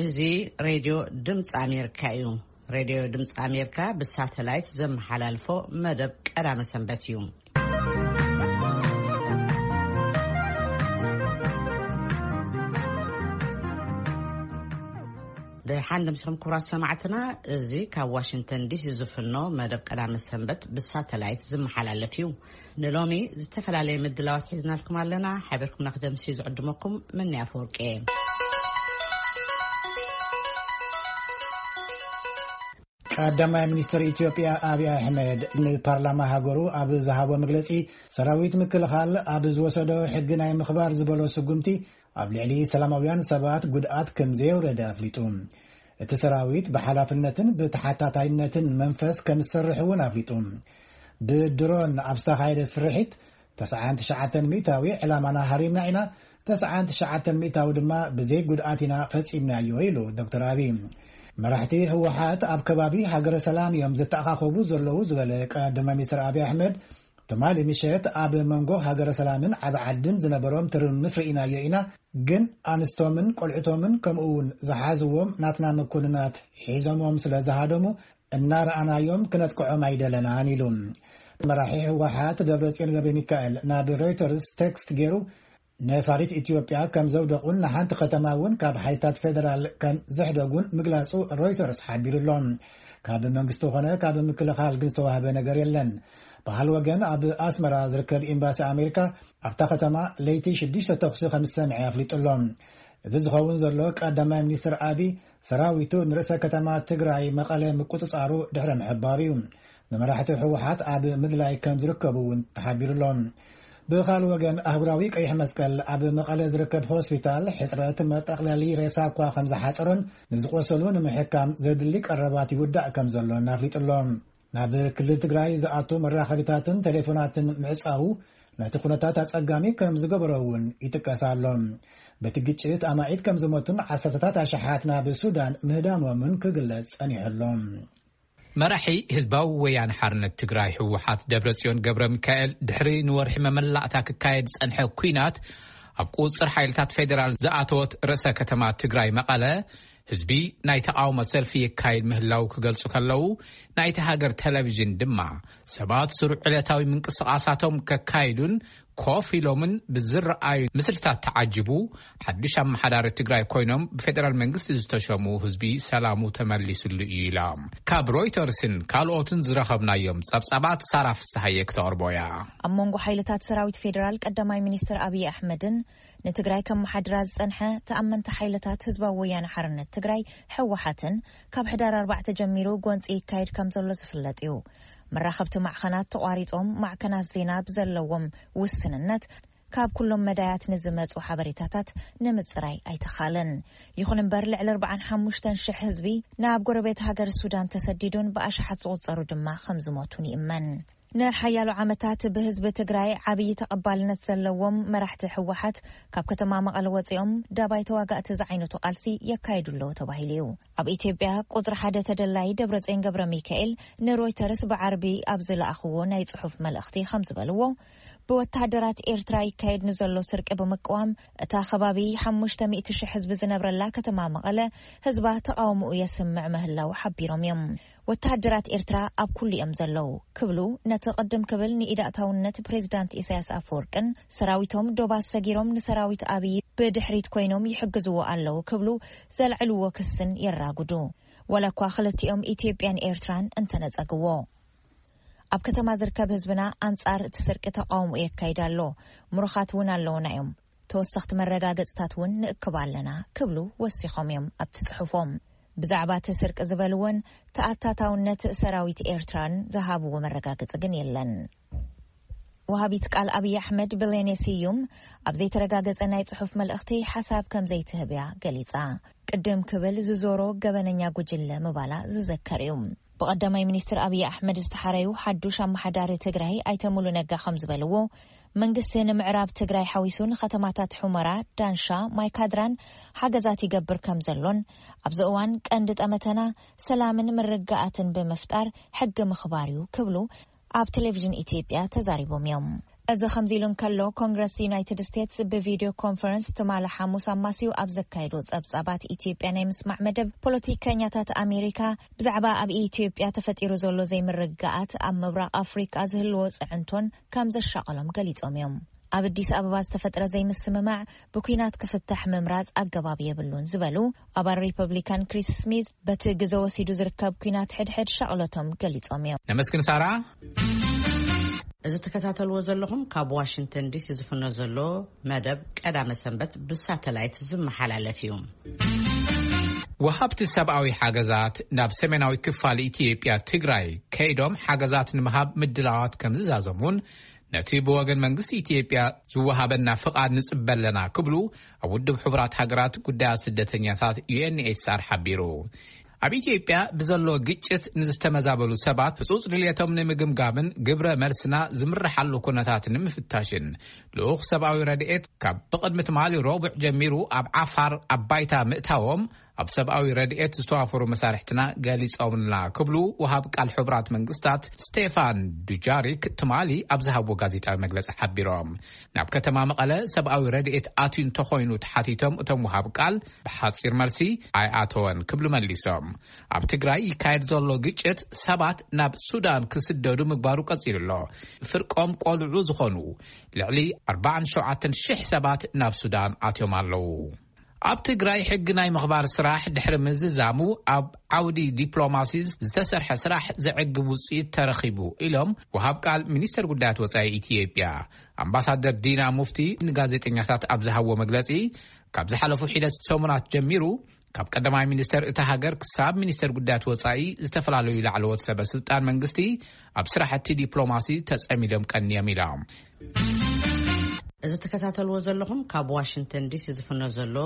እዚ ሬድዮ ድምፂ ኣሜሪካ እዩ። ሬድዮ ድምፂ ኣሜሪካ ብሳተላይት ዘመሓላልፎ መደብ ቀዳመ ሰንበት እዩ። ደሓን ደምሲኹም ክቡራት ሰማዕትና፣ እዚ ካብ ዋሽንግተን ዲሲ ዝፍኖ መደብ ቀዳመ ሰንበት ብሳተላይት ዝመሓላለፍ እዩ። ንሎሚ ዝተፈላለየ ምድላዋት ሒዝናልኩም ኣለና። ሓቢርኩምና ክደምሲ ዝዕድመኩም ምኒ ኣፈወርቂ እየ። ቀዳማይ ሚኒስትር ኢትዮጵያ ኣብይ ኣሕመድ ንፓርላማ ሃገሩ ኣብ ዝሃቦ መግለጺ፣ ሰራዊት ምክልኻል ኣብ ዝወሰዶ ሕጊ ናይ ምኽባር ዝበሎ ስጉምቲ ኣብ ልዕሊ ሰላማውያን ሰባት ጉድኣት ከም ዘየውረደ ኣፍሊጡ። እቲ ሰራዊት ብሓላፍነትን ብተሓታታይነትን መንፈስ ከም ዝሰርሕ እውን ኣፍሊጡ። ብድሮን ኣብ ዝተኻየደ ስርሒት ተስዓን ትሽዓተን ሚእታዊ ዕላማና ሃሪምና ኢና፣ ተስዓን ትሽዓተን ሚእታዊ ድማ ብዘይ ጉድኣት ኢና ፈጺምናዮ ኢሉ ዶክተር ኣብይ። መራሕቲ ህወሓት ኣብ ከባቢ ሃገረ ሰላም እዮም ዝተኣኻኸቡ ዘለዉ ዝበለ ቀዳማይ ሚኒስትር ኣብይ ኣሕመድ፣ ትማሊ ምሸት ኣብ መንጎ ሃገረ ሰላምን ዓቢ ዓድን ዝነበሮም ትርምስ ርኢናዮ ኢና፣ ግን ኣንስቶምን ቆልዕቶምን ከምኡ እውን ዝሓዝዎም ናትና መኮንናት ሒዞሞም ስለ ዝሃደሙ እናረኣናዮም ክነጥቅዖም ኣይደለናን ኢሉ። መራሒ ህወሓት ደብረጽዮን ገብረ ሚካኤል ናብ ሮይተርስ ቴክስት ገይሩ፣ ነፋሪት ኢትዮጵያ ከም ዘውደቑን ንሓንቲ ከተማ እውን ካብ ሓይልታት ፌደራል ከም ዘሕደጉን ምግላጹ ሮይተርስ ሓቢሩ ኣሎ። ካብ መንግስቲ ኾነ ካብ ምክልኻል ግን ዝተዋህበ ነገር የለን። በሃል ወገን ኣብ ኣስመራ ዝርከብ ኤምባሲ ኣሜሪካ ኣብታ ከተማ ለይቲ ሽዱሽተ ተኹሲ ከም ዝሰምዐ ኣፍሊጡ ኣሎ። እዚ ዝኸውን ዘሎ ቀዳማይ ሚኒስትር ኣብይ ሰራዊቱ ንርእሰ ከተማ ትግራይ መቐለ ምቁጽጻሩ ድሕሪ ምሕባሩ እዩ። ንመራሕቲ ህወሓት ኣብ ምድላይ ከም ዝርከቡ እውን ተሓቢሩ ኣሎ። ብኻልእ ወገን ኣህጉራዊ ቀይሕ መስቀል ኣብ መቐለ ዝርከብ ሆስፒታል ሕጽረት መጠቕለሊ ሬሳ እኳ ከም ዝሓጸሮን ንዝቆሰሉ ንምሕካም ዘድሊ ቀረባት ይውዳእ ከም ዘሎን ኣፍሊጡ ኣሎ። ናብ ክልል ትግራይ ዝኣቱ መራኸቢታትን ቴሌፎናትን ምዕጻዉ ነቲ ኩነታት ኣጸጋሚ ከም ዝገበሮ እውን ይጥቀስ ኣሎ። በቲ ግጭት ኣማኢት ከም ዝሞቱን ዓሰርተታት ኣሽሓት ናብ ሱዳን ምህዳሞምን ክግለጽ ጸኒሑ ኣሎ። መራሒ ህዝባዊ ወያነ ሓርነት ትግራይ ህወሓት ደብረጽዮን ገብረ ሚካኤል ድሕሪ ንወርሒ መመላእታ ክካየድ ዝጸንሐ ኲናት ኣብ ቁጽር ሓይልታት ፌዴራል ዝኣተወት ርእሰ ከተማ ትግራይ መቐለ ህዝቢ ናይ ተቓውሞ ሰልፊ የካይድ ምህላው ክገልጹ ከለዉ፣ ናይቲ ሃገር ቴሌቪዥን ድማ ሰባት ስሩዕ ዕለታዊ ምንቅስቓሳቶም ከካይዱን ኮፍ ኢሎምን ብዝረኣዩ ምስልታት ተዓጅቡ ሓድሽ ኣመሓዳሪ ትግራይ ኮይኖም ብፌደራል መንግስቲ ዝተሸሙ ህዝቢ ሰላሙ ተመሊሱሉ እዩ ኢላ። ካብ ሮይተርስን ካልኦትን ዝረኸብናዮም ጸብጻባት ሳራ ፍስሃየ ክተቕርቦ እያ። ኣብ መንጎ ሓይልታት ሰራዊት ፌደራል ቀዳማይ ሚኒስትር ኣብይ ኣሕመድን ንትግራይ ከመሓድራ ዝጸንሐ ተኣመንቲ ሓይልታት ህዝባዊ ወያነ ሓርነት ትግራይ ህወሓትን ካብ ሕዳር ኣርባዕተ ጀሚሩ ጎንፂ ይካየድ ከም ዘሎ ዝፍለጥ እዩ። መራኸብቲ ማዕኸናት ተቋሪጾም፣ ማዕከናት ዜና ብዘለዎም ውስንነት ካብ ኩሎም መዳያት ንዝመጹ ሓበሬታታት ንምጽራይ ኣይተኻለን። ይኹን እምበር፣ ልዕሊ ኣርባዓን ሓሙሽተን ሽሕ ህዝቢ ናብ ጎረቤት ሃገር ሱዳን ተሰዲዱን ብኣሽሓት ዝቑጸሩ ድማ ከም ዝሞቱን ይእመን። ንሓያሎ ዓመታት ብህዝቢ ትግራይ ዓብዪ ተቐባልነት ዘለዎም መራሕቲ ህወሓት ካብ ከተማ መቐለ ወፂኦም ዳባይ ተዋጋእቲ ዝዓይነቱ ቃልሲ የካይዱ ኣለዉ ተባሂሉ እዩ። ኣብ ኢትዮጵያ ቁፅሪ ሓደ ተደላይ ደብረፅዮን ገብረ ሚካኤል ንሮይተርስ ብዓርቢ ኣብ ዝለኣኽዎ ናይ ፅሑፍ መልእኽቲ ከም ዝበልዎ፣ ብወተሃደራት ኤርትራ ይካየድ ንዘሎ ስርቂ ብምቅዋም፣ እታ ከባቢ ሓሙሽተ ሚእቲ ሽሕ ህዝቢ ዝነብረላ ከተማ መቐለ ህዝባ ተቃውሞኡ የስምዕ ምህላው ሓቢሮም እዮም። ወተሃደራት ኤርትራ ኣብ ኩሉ እዮም ዘለዉ ክብሉ፣ ነቲ ቅድም ክብል ንኢድ ኣእታውነት ፕሬዚዳንት ኢሳያስ ኣፈወርቅን ሰራዊቶም ዶባት ሰጊሮም ንሰራዊት ኣብይ ብድሕሪት ኮይኖም ይሕግዝዎ ኣለዉ ክብሉ ዘልዕልዎ ክስን የራጉዱ። ዋላ እኳ ክልቲኦም ኢትዮጵያን ኤርትራን እንተነጸግዎ። ኣብ ከተማ ዝርከብ ህዝብና ኣንጻር እቲ ስርቂ ተቃውሞ የካይድ ኣሎ። ምሩኻት እውን ኣለዉና እዮም። ተወሰኽቲ መረጋገጽታት እውን ንእክብ ኣለና ክብሉ ወሲኾም እዮም ኣብቲ ጽሑፎም። ብዛዕባ እቲ ስርቂ ዝበልዎን ተኣታታውነት ሰራዊት ኤርትራን ዝሃብዎ መረጋገጺ ግን የለን። ወሃቢት ቃል ኣብይ ኣሕመድ ብሌኔ ስዩም ኣብ ዘይተረጋገጸ ናይ ጽሑፍ መልእኽቲ ሓሳብ ከም ዘይትህብ እያ ገሊጻ። ቅድም ክብል ዝዞሮ ገበነኛ ጉጅለ ምባላ ዝዘከር እዩ። ብቐዳማይ ሚኒስትር ኣብይ ኣሕመድ ዝተሓረዩ ሓዱሽ ኣመሓዳሪ ትግራይ ኣይተ ሙሉ ነጋ ከም ዝበልዎ፣ መንግስቲ ንምዕራብ ትግራይ ሓዊሱ ንከተማታት ሑመራ፣ ዳንሻ፣ ማይካድራን ሓገዛት ይገብር ከም ዘሎን፣ ኣብዚ እዋን ቀንዲ ጠመተና ሰላምን ምርግጋኣትን ብምፍጣር ሕጊ ምኽባር እዩ ክብሉ ኣብ ቴሌቪዥን ኢትዮጵያ ተዛሪቦም እዮም። እዚ ከምዚ ኢሉ እንከሎ፣ ኮንግረስ ዩናይትድ ስቴትስ ብቪድዮ ኮንፈረንስ ትማሊ ሓሙስ ኣማስዩ ኣብ ዘካየዶ ጸብጻባት ኢትዮጵያ ናይ ምስማዕ መደብ፣ ፖለቲከኛታት ኣሜሪካ ብዛዕባ ኣብ ኢትዮጵያ ተፈጢሩ ዘሎ ዘይምርግጋኣት ኣብ ምብራቕ ኣፍሪቃ ዝህልዎ ጽዕንቶን ከም ዘሻቐሎም ገሊጾም እዮም። ኣብ ኣዲስ ኣበባ ዝተፈጥረ ዘይምስምማዕ ብኲናት ክፍታሕ ምምራጽ ኣገባብ የብሉን ዝበሉ ኣባል ሪፐብሊካን ክሪስ ስሚዝ፣ በቲ ግዘ ወሲዱ ዝርከብ ኲናት ሕድሕድ ሻቕሎቶም ገሊጾም እዮም። ነመስግን ሳራ። እዚ ትከታተልዎ ዘለኹም ካብ ዋሽንግተን ዲሲ ዝፍኖ ዘሎ መደብ ቀዳመ ሰንበት ብሳተላይት ዝመሓላለፍ እዩ። ወሃብቲ ሰብኣዊ ሓገዛት ናብ ሰሜናዊ ክፋል ኢትዮጵያ ትግራይ ከይዶም ሓገዛት ንምሃብ ምድላዋት ከም ዝዛዘሙን ነቲ ብወገን መንግስቲ ኢትዮጵያ ዝወሃበና ፍቓድ ንጽበ ኣለና ክብሉ ኣብ ውድብ ሕቡራት ሃገራት ጉዳያት ስደተኛታት ዩ ኤን ኤች ሲ ኣር ሓቢሩ። ኣብ ኢትዮጵያ ብዘሎ ግጭት ንዝተመዛበሉ ሰባት ህጹጽ ድልየቶም ንምግምጋምን ግብረ መልስና ዝምርሓሉ ኩነታት ንምፍታሽን ልኡኽ ሰብኣዊ ረድኤት ካብ ብቕድሚ ትማሊ ረቡዕ ጀሚሩ ኣብ ዓፋር ኣብ ባይታ ምእታዎም ኣብ ሰብኣዊ ረድኤት ዝተዋፈሩ መሳርሕትና ገሊጾምልና ክብሉ ወሃብ ቃል ሕቡራት መንግስታት ስቴፋን ዱጃሪክ ትማሊ ኣብ ዝሃብዎ ጋዜጣዊ መግለጺ ሓቢሮም። ናብ ከተማ መቐለ ሰብኣዊ ረድኤት ኣትዩ እንተኾይኑ ተሓቲቶም እቶም ወሃብ ቃል ብሓጺር መልሲ ኣይኣተወን ክብሉ መሊሶም። ኣብ ትግራይ ይካየድ ዘሎ ግጭት ሰባት ናብ ሱዳን ክስደዱ ምግባሩ ቀጺሉ ኣሎ። ፍርቆም ቆልዑ ዝኾኑ ልዕሊ ኣርባዓን ሸውዓተን ሽሕ ሰባት ናብ ሱዳን ኣትዮም ኣለዉ። ኣብ ትግራይ ሕጊ ናይ ምኽባር ስራሕ ድሕሪ ምዝዛሙ ኣብ ዓውዲ ዲፕሎማሲ ዝተሰርሐ ስራሕ ዘዕግብ ውፅኢት ተረኺቡ ኢሎም ወሃብ ቃል ሚኒስተር ጉዳያት ወፃኢ ኢትዮጵያ ኣምባሳደር ዲና ሙፍቲ ንጋዜጠኛታት ኣብ ዝሃብዎ መግለፂ፣ ካብ ዝሓለፉ ሒደት ሰሙናት ጀሚሩ ካብ ቀዳማይ ሚኒስተር እታ ሃገር ክሳብ ሚኒስተር ጉዳያት ወፃኢ ዝተፈላለዩ ላዕለዎት ሰበ ስልጣን መንግስቲ ኣብ ስራሕቲ ዲፕሎማሲ ተጸሚዶም ቀንዮም ኢሎም። እዚ ትከታተልዎ ዘለኹም ካብ ዋሽንግተን ዲሲ ዝፍኖ ዘሎ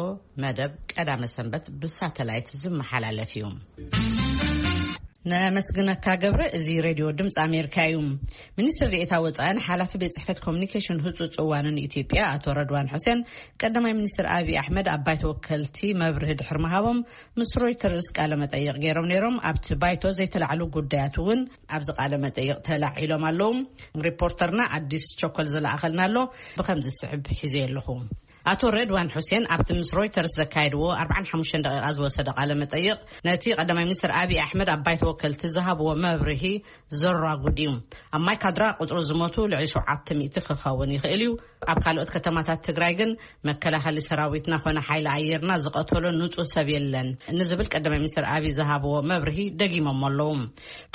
መደብ ቀዳመ ሰንበት ብሳተላይት ዝመሓላለፍ እዩ። ነመስግነካ ገብረ። እዚ ሬድዮ ድምፂ ኣሜሪካ እዩ። ሚኒስትር ዴኤታ ወፃእን ሓላፊ ቤት ጽሕፈት ኮሚኒኬሽን ህጹጽ እዋንን ኢትዮጵያ ኣቶ ረድዋን ሑሴን ቀዳማይ ሚኒስትር ኣብይ ኣሕመድ ኣብ ባይቶ ወከልቲ መብርሂ ድሕሪ ምሃቦም ምስ ሮይተርስ ቃለ መጠይቕ ገይሮም ነይሮም። ኣብቲ ባይቶ ዘይተላዕሉ ጉዳያት እውን ኣብዚ ቃለ መጠይቕ ተላዒሎም ኣለዉ። ሪፖርተርና ኣዲስ ቸኮል ዝለኣኸልና ኣሎ። ብኸምዚ ዝስዕብ ሒዘ ኣለኹ። ኣቶ ረድዋን ሑሴን ኣብቲ ምስ ሮይተርስ ዘካየድዎ ኣርባዓን ሓሙሽተን ደቂቓ ዝወሰደ ቃለ መጠይቕ፣ ነቲ ቀዳማይ ሚኒስትር ኣብይ ኣሕመድ ኣብ ባይቶ ወከልቲ ዝሃብዎ መብርሂ ዘራጉድ እዩ። ኣብ ማይካድራ ቁጽሪ ዝሞቱ ልዕሊ ሸውዓተ ሚእቲ ክኸውን ይኽእል እዩ። ኣብ ካልኦት ከተማታት ትግራይ ግን መከላኸሊ ሰራዊትና ኾነ ሓይሊ ኣየርና ዝቐተሎ ንጹህ ሰብ የለን ንዝብል ቀዳማይ ሚኒስትር ኣብይ ዝሃብዎ መብርሂ ደጊሞሞ ኣለዉ።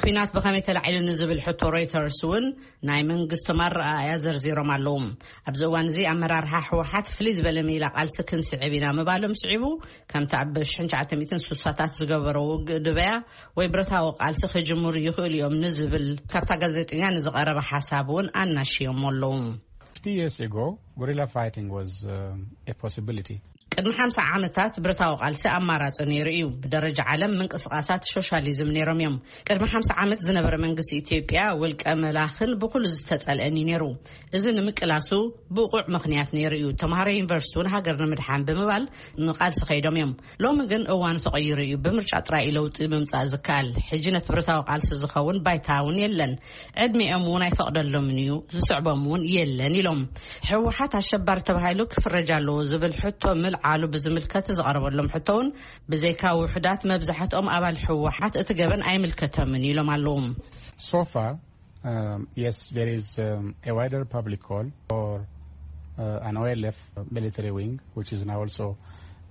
ኲናት ብኸመይ ተላዒሉ ንዝብል ሕቶ ሮይተርስ እውን ናይ መንግስቶም ኣረኣእያ ዘርዚሮም ኣለዉ። ኣብዚ እዋን እዚ ኣመራርሓ ህወሓት ፍልይ ዝበለ ሜላ ቃልሲ ክንስዕብ ኢና ምባሎም ስዒቡ፣ ከምቲ ኣብ ሽሕን ትሽዓተ ሚእትን ስሳታት ዝገበሮ ውግእ ድበያ ወይ ብረታዊ ቃልሲ ክጅምሩ ይኽእሉ እዮም ንዝብል ካብታ ጋዜጠኛ ንዝቐረበ ሓሳብ እውን ኣናሽዮሞ ኣለዉ። Fifty years ago, guerrilla fighting was, um, a possibility. ቅድሚ ሓምሳ ዓመታት ብረታዊ ቃልሲ ኣማራጺ ነይሩ እዩ። ብደረጃ ዓለም ምንቅስቓሳት ሶሻሊዝም ነይሮም እዮም። ቅድሚ ሓምሳ ዓመት ዝነበረ መንግስቲ ኢትዮጵያ ውልቀ መላኽን ብኹሉ ዝተጸልአን እዩ ነይሩ። እዚ ንምቅላሱ ብቑዕ ምኽንያት ነይሩ እዩ። ተምሃሮ ዩኒቨርሲቲ እውን ሃገር ንምድሓን ብምባል ንቃልሲ ከይዶም እዮም። ሎሚ ግን እዋኑ ተቐይሩ እዩ። ብምርጫ ጥራይ እዩ ለውጢ ምምጻእ ዝከኣል። ሕጂ ነቲ ብረታዊ ቃልሲ ዝኸውን ባይታ እውን የለን። ዕድሚኦም እውን ኣይፈቕደሎምን እዩ። ዝስዕቦም እውን የለን ኢሎም። ህወሓት ኣሸባሪ ተባሂሉ ክፍረጅ ኣለዎ ዝብል ሕቶ ምልዓሉ ብዝምልከት ዝቐረበሎም ሕቶ እውን ብዘይካ ውሑዳት መብዛሕትኦም ኣባል ህወሓት እቲ ገበን ኣይምልከቶምን ኢሎም ኣለዉ። So far, um, yes, there is, um, a wider public call for, uh, an O L F military wing, which is now also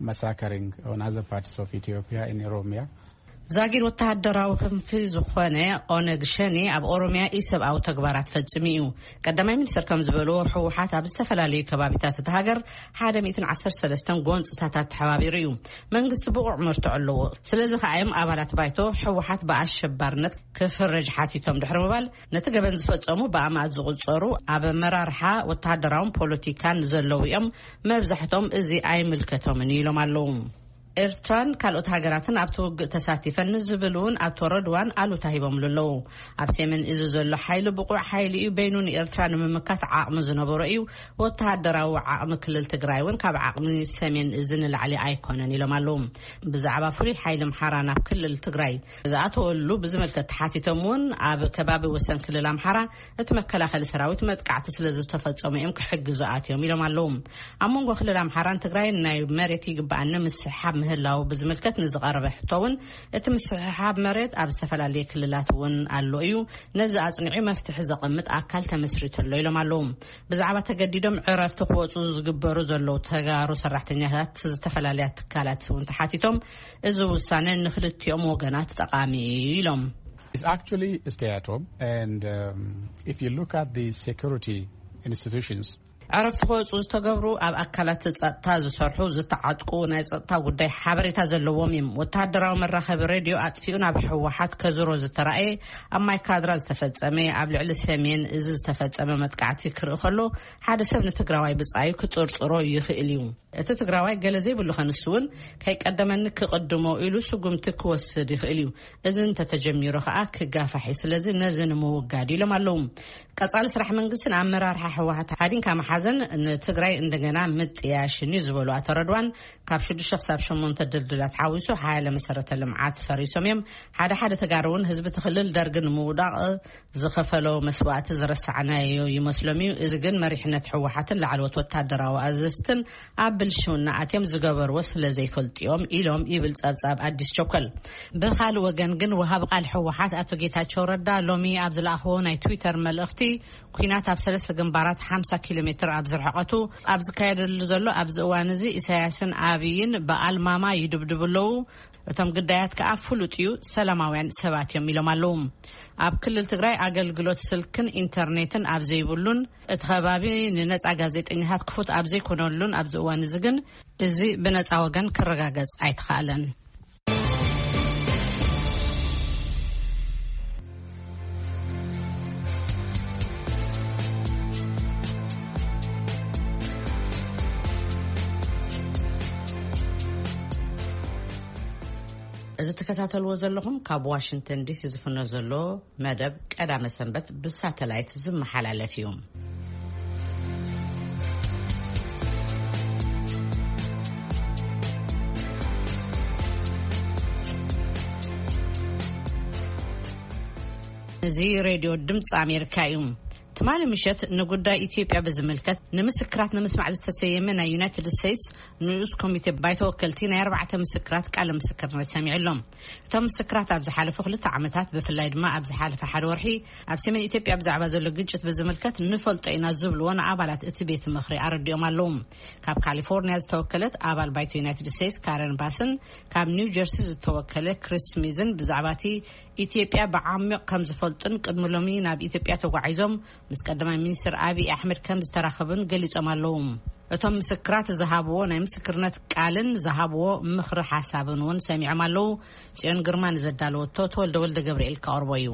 massacring on other parts of Ethiopia in Oromia. ዛጊድ ወተሃደራዊ ክንፊ ዝኾነ ኦነግ ሸኔ ኣብ ኦሮሚያ ኢሰብኣዊ ተግባራት ፈጺሙ እዩ። ቀዳማይ ሚኒስትር ከም ዝበልዎ፣ ህወሓት ኣብ ዝተፈላለዩ ከባቢታት እቲ ሃገር ሓደ ሚእትን ዓሰርተ ሰለስተን ጎንፅታት ኣተሓባቢሩ እዩ። መንግስቲ ብቑዕ መርትዖ ኣለዎ። ስለዚ ከኣ እዮም ኣባላት ባይቶ ህወሓት ብኣሸባርነት ክፍረጅ ሓቲቶም ድሕሪ ምባል፣ ነቲ ገበን ዝፈጸሙ ብኣማእት ዝቑጸሩ ኣብ ኣመራርሓ ወተሃደራውን ፖለቲካን ዘለዉ እዮም። መብዛሕትኦም እዚ ኣይምልከቶምን ኢሎም ኣለዉ። ኤርትራን ካልኦት ሃገራትን ኣብቲ ውግእ ተሳቲፈን ንዝብል እውን ኣቶ ረድዋን ኣሉታ ሂቦምሉ ኣለዉ። ኣብ ሰሜን እዚ ዘሎ ሓይሊ ብቑዕ ሓይሊ እዩ፣ በይኑ ንኤርትራ ንምምካት ዓቕሚ ዝነበሮ እዩ። ወተሃደራዊ ዓቕሚ ክልል ትግራይ እውን ካብ ዓቕሚ ሰሜን እዚ ንላዕሊ ኣይኮነን ኢሎም ኣለዉ። ብዛዕባ ፍሉይ ሓይሊ ኣምሓራ ናብ ክልል ትግራይ ዝኣተወሉ ብዝምልከት ተሓቲቶም እውን ኣብ ከባቢ ወሰን ክልል ኣምሓራ እቲ መከላኸሊ ሰራዊት መጥቃዕቲ ስለ ዝተፈጸሙ እዮም ክሕግዙ ኣትዮም ኢሎም ኣለዉ። ኣብ መንጎ ክልል ኣምሓራን ትግራይን ናይ መሬት ይግባኣኒ ምስሕሓብ ምህላው ብዝምልከት ንዝቐረበ ሕቶ እውን እቲ ምስሕሓብ መሬት ኣብ ዝተፈላለየ ክልላት እውን ኣሎ እዩ። ነዚ ኣጽኒዑ መፍትሒ ዘቐምጥ ኣካል ተመስሪቱ ኣሎ ኢሎም ኣለዉ። ብዛዕባ ተገዲዶም ዕረፍቲ ክወፁ ዝግበሩ ዘለዉ ተጋሩ ሰራሕተኛታት ዝተፈላለያ ትካላት እውን ተሓቲቶም እዚ ውሳነ ንክልቲኦም ወገናት ጠቓሚ እዩ ኢሎም። It's actually stay at home. And um, if you look at the security institutions, ዕረፍቲ ክወፁ ዝተገብሩ ኣብ ኣካላት ጸጥታ ዝሰርሑ ዝተዓጥቁ ናይ ጸጥታ ጉዳይ ሓበሬታ ዘለዎም እዮም። ወተሃደራዊ መራኸቢ ሬድዮ ኣጥፊኡ ናብ ህወሓት ከዝሮ ዝተራእየ ኣብ ማይ ካድራ ዝተፈጸመ ኣብ ልዕሊ ሰሜን እዚ ዝተፈጸመ መጥቃዕቲ ክርኢ ከሎ ሓደ ሰብ ንትግራዋይ ብጻዩ ክጥርጥሮ ይኽእል እዩ። እቲ ትግራዋይ ገለ ዘይብሉ ከንሱ እውን ከይቀደመኒ ክቕድሞ ኢሉ ስጉምቲ ክወስድ ይኽእል እዩ። እዚ እንተተጀሚሩ ከኣ ክጋፋሕ እዩ። ስለዚ ነዚ ንምውጋድ ኢሎም ኣለዉ። ቀጻሊ ስራሕ መንግስትን ኣመራርሓ ህወሓት ሓዲንካ መሓዘን ንትግራይ እንደገና ምጥያሽን እዩ ዝበሉ ኣቶ ረድዋን፣ ካብ ሽዱሽተ ክሳብ ሸሞንተ ድልድላት ሓዊሱ ሓያለ መሰረተ ልምዓት ፈሪሶም እዮም። ሓደ ሓደ ተጋሩ እውን ህዝቢ እቲ ክልል ደርጊ ንምውዳቕ ዝኸፈሎ መስዋእቲ ዝረሳዕናዮ ይመስሎም እዩ። እዚ ግን መሪሕነት ህወሓትን ላዕለዎት ወታደራዊ ኣዘዝትን ኣብ ብልሽውና ኣትዮም ዝገበርዎ ስለ ዘይፈልጡ እዮም ኢሎም ይብል ጸብጻብ ኣዲስ ቸኮል። ብኻልእ ወገን ግን ወሃቢ ቃል ህወሓት ኣቶ ጌታቸው ረዳ ሎሚ ኣብ ዝለኣኽዎ ናይ ትዊተር መልእኽቲ፣ ኲናት ኣብ ሰለስተ ግንባራት ሓምሳ ኪሎ ሜትር ኣብ ዝርሕቐቱ ኣብ ዝካየደሉ ዘሎ ኣብዚ እዋን እዚ ኢሳያስን ኣብይን ብኣልማማ ይድብድቡ ኣለዉ። እቶም ግዳያት ከኣ ፍሉጥ እዩ፣ ሰላማውያን ሰባት እዮም ኢሎም ኣለዉ። ኣብ ክልል ትግራይ ኣገልግሎት ስልክን ኢንተርኔትን ኣብ ዘይብሉን እቲ ከባቢ ንነጻ ጋዜጠኛታት ክፉት ኣብ ዘይኮነሉን ኣብዚ እዋን እዚ ግን እዚ ብነጻ ወገን ክረጋገጽ ኣይተኻእለን። እዚ ትከታተልዎ ዘለኹም ካብ ዋሽንግተን ዲሲ ዝፍኖ ዘሎ መደብ ቀዳመ ሰንበት ብሳተላይት ዝመሓላለፍ እዩ። እዚ ሬድዮ ድምፂ ኣሜሪካ እዩ። ትማሊ ምሸት ንጉዳይ ኢትዮጵያ ብዝምልከት ንምስክራት ንምስማዕ ዝተሰየመ ናይ ዩናይትድ ስቴትስ ንኡስ ኮሚቴ ባይቶ ወከልቲ ናይ ኣርባዕተ ምስክራት ቃለ ምስክርነት ሰሚዑ ኣሎ። እቶም ምስክራት ኣብ ዝሓለፉ ክልተ ዓመታት፣ ብፍላይ ድማ ኣብ ዝሓለፈ ሓደ ወርሒ ኣብ ሰሜን ኢትዮጵያ ብዛዕባ ዘሎ ግጭት ብዝምልከት ንፈልጦ ኢና ዝብልዎ ንኣባላት እቲ ቤት ምኽሪ ኣረዲኦም ኣለዉ። ካብ ካሊፎርኒያ ዝተወከለት ኣባል ባይቶ ዩናይትድ ስቴትስ ካረን ባስን ካብ ኒው ጀርሲ ዝተወከለ ክሪስ ስሚዝን ብዛዕባ እቲ ኢትዮጵያ ብዓሚቕ ከም ዝፈልጡን ቅድሚ ሎሚ ናብ ኢትዮጵያ ተጓዒዞም ምስ ቀዳማይ ሚኒስትር ኣብይ ኣሕመድ ከም ዝተራኸቡን ገሊጾም ኣለዉ። እቶም ምስክራት ዝሃብዎ ናይ ምስክርነት ቃልን ዝሃብዎ ምኽሪ ሓሳብን እውን ሰሚዖም ኣለዉ። ጽዮን ግርማ ንዘዳለወቶ ተወልደ ወልደ ገብርኤል ከቕርቦ እዩ።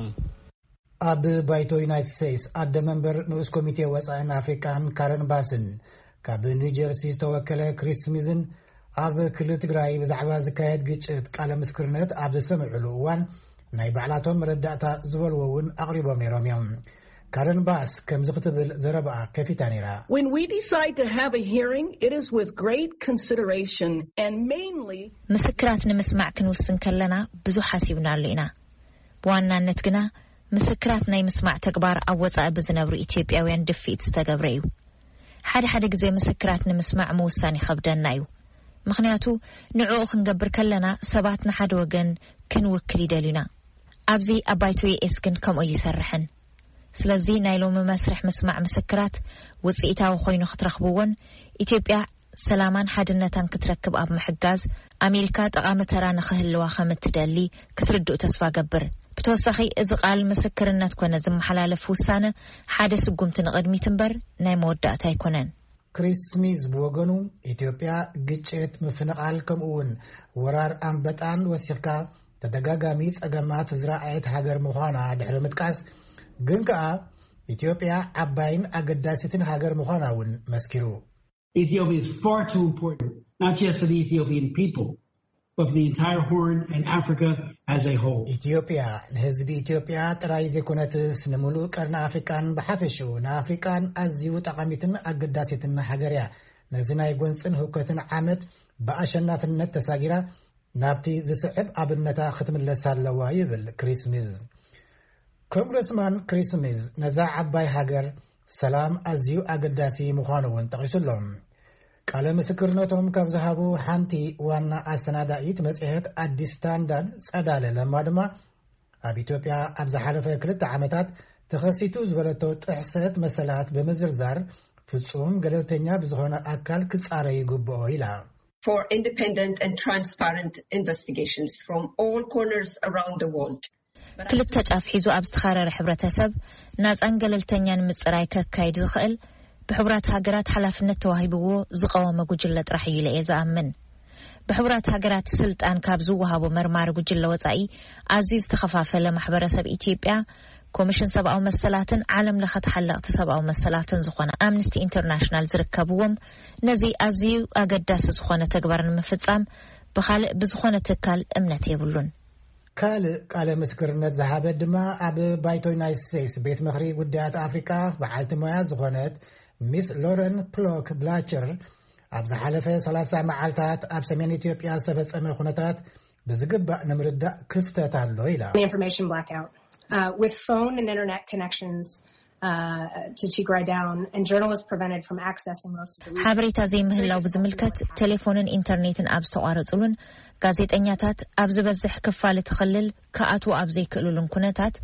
ኣብ ባይቶ ዩናይትድ ስቴትስ ኣደ መንበር ንኡስ ኮሚቴ ወጻእን ኣፍሪቃን ካረን ባስን ካብ ኒው ጀርሲ ዝተወከለ ክሪስ ስሚዝን ኣብ ክልል ትግራይ ብዛዕባ ዝካየድ ግጭት ቃለ ምስክርነት ኣብ ዘሰምዕሉ እዋን ናይ ባዕላቶም መረዳእታ ዝበልዎ እውን ኣቕሪቦም ነይሮም እዮም። ካረን ባስ ከምዚ ክትብል ዘረባኣ ከፊታ ነይራ። When we decide to have a hearing, it is with great consideration and mainly ምስክራት ንምስማዕ ክንውስን ከለና ብዙሕ ሓሲብናሉ ኢና። ብዋናነት ግና ምስክራት ናይ ምስማዕ ተግባር ኣብ ወጻኢ ብዝነብሩ ኢትዮጵያውያን ድፍኢት ዝተገብረ እዩ። ሓደ ሓደ ግዜ ምስክራት ንምስማዕ ምውሳን ይኸብደና እዩ። ምኽንያቱ ንዕኡ ክንገብር ከለና ሰባት ንሓደ ወገን ክንውክል ይደልዩና። ኣብዚ ኣብ ባይቶ ዩ ኤስ ግን ከምኡ ይሰርሕን። ስለዚ ናይ ሎሚ መስርሕ ምስማዕ ምስክራት ውጽኢታዊ ኮይኑ ክትረኽብዎን ኢትዮጵያ ሰላማን ሓድነታን ክትረክብ ኣብ ምሕጋዝ ኣሜሪካ ጠቓሚ ተራ ንኽህልዋ ከም እትደሊ ክትርድኡ ተስፋ ገብር። ብተወሳኺ እዚ ቃል ምስክርነት ኮነ ዝመሓላለፍ ውሳነ ሓደ ስጉምቲ ንቕድሚት እምበር ናይ መወዳእታ ኣይኮነን። ክሪስ ስሚዝ ብወገኑ ኢትዮጵያ ግጭት፣ ምፍንቓል ከምኡ እውን ወራር ኣንበጣን ወሲኽካ ተደጋጋሚ ጸገማት ዝረኣየት ሃገር ምዃና ድሕሪ ምጥቃስ ግን ከኣ ኢትዮጵያ ዓባይን ኣገዳሲትን ሃገር ምዃና እውን መስኪሩ። Ethiopia is far too important, not just for the Ethiopian people, of the entire Horn and Africa as a whole. ኢትዮጵያ ንህዝቢ ኢትዮጵያ ጥራይ ዘይኮነትስ፣ ንምሉእ ቀርኒ ኣፍሪቃን ብሓፈሽኡ ንኣፍሪቃን ኣዝዩ ጠቓሚትን ኣገዳሲትን ሃገር እያ። ነዚ ናይ ጎንጽን ህውከትን ዓመት ብኣሸናፍነት ተሳጊራ፣ ናብቲ ዝስዕብ ኣብነታ ክትምለስ ኣለዋ ይብል ክሪስ ሚዝ። ኮንግረስማን ክሪስ ሚዝ ነዛ ዓባይ ሃገር ሰላም ኣዝዩ ኣገዳሲ ምዃኑ እውን ጠቒሱ ኣሎ። ቃለ ምስክርነቶም ካብ ዝሃቡ ሓንቲ ዋና ኣሰናዳኢት መጽሔት ኣዲስ ስታንዳርድ ጸዳለ ለማ ድማ፣ ኣብ ኢትዮጵያ ኣብ ዝሓለፈ ክልተ ዓመታት ተኸሲቱ ዝበለቶ ጥሕሰት መሰላት ብምዝርዛር፣ ፍጹም ገለልተኛ ብዝኾነ ኣካል ክጻረ ይግብኦ ኢላ። For independent and transparent investigations from all corners around the world. ክልተ ጫፍ ሒዙ ኣብ ዝተኻረረ ሕብረተሰብ፣ ናጻን ገለልተኛን ምጽራይ ከካይድ ዝኽእል፣ ብሕቡራት ሃገራት ሓላፍነት ተዋሂብዎ ዝቐወመ ጉጅለ ጥራሕ እዩ ኢለ እየ ዝኣምን። ብሕቡራት ሃገራት ስልጣን ካብ ዝወሃቦ መርማሪ ጉጅለ ወጻኢ፣ ኣዝዩ ዝተኸፋፈለ ማሕበረሰብ ኢትዮጵያ፣ ኮሚሽን ሰብኣዊ መሰላትን ዓለም ለኸ ተሓለቕቲ ሰብኣዊ መሰላትን ዝኾነ ኣምነስቲ ኢንተርናሽናል ዝርከብዎም፣ ነዚ ኣዝዩ ኣገዳሲ ዝኾነ ተግባር ንምፍጻም ብኻልእ ብዝኾነ ትካል እምነት የብሉን። ካልእ ቃለ ምስክርነት ዝሃበት ድማ ኣብ ባይቶ ዩናይትድ ስቴትስ ቤት ምኽሪ ጉዳያት ኣፍሪቃ በዓልቲ ሞያ ዝኾነት ሚስ ሎረን ፕሎክ ብላቸር፣ ኣብ ዝሓለፈ ሰላሳ መዓልታት ኣብ ሰሜን ኢትዮጵያ ዝተፈጸመ ኩነታት ብዝግባእ ንምርዳእ ክፍተት ኣሎ ኢላ። The information blackout, uh, with phone and internet connections, uh, to Tigray down, and journalists prevented from accessing most of the region. ሓበሬታ ዘይምህላው ብዝምልከት፣ ቴሌፎንን ኢንተርኔትን ኣብ ዝተቋረጽሉን፣ ጋዜጠኛታት ኣብ ዝበዝሕ ክፋል እቲ ክልል ክኣትዉ ኣብ ዘይክእሉሉን ኩነታት፣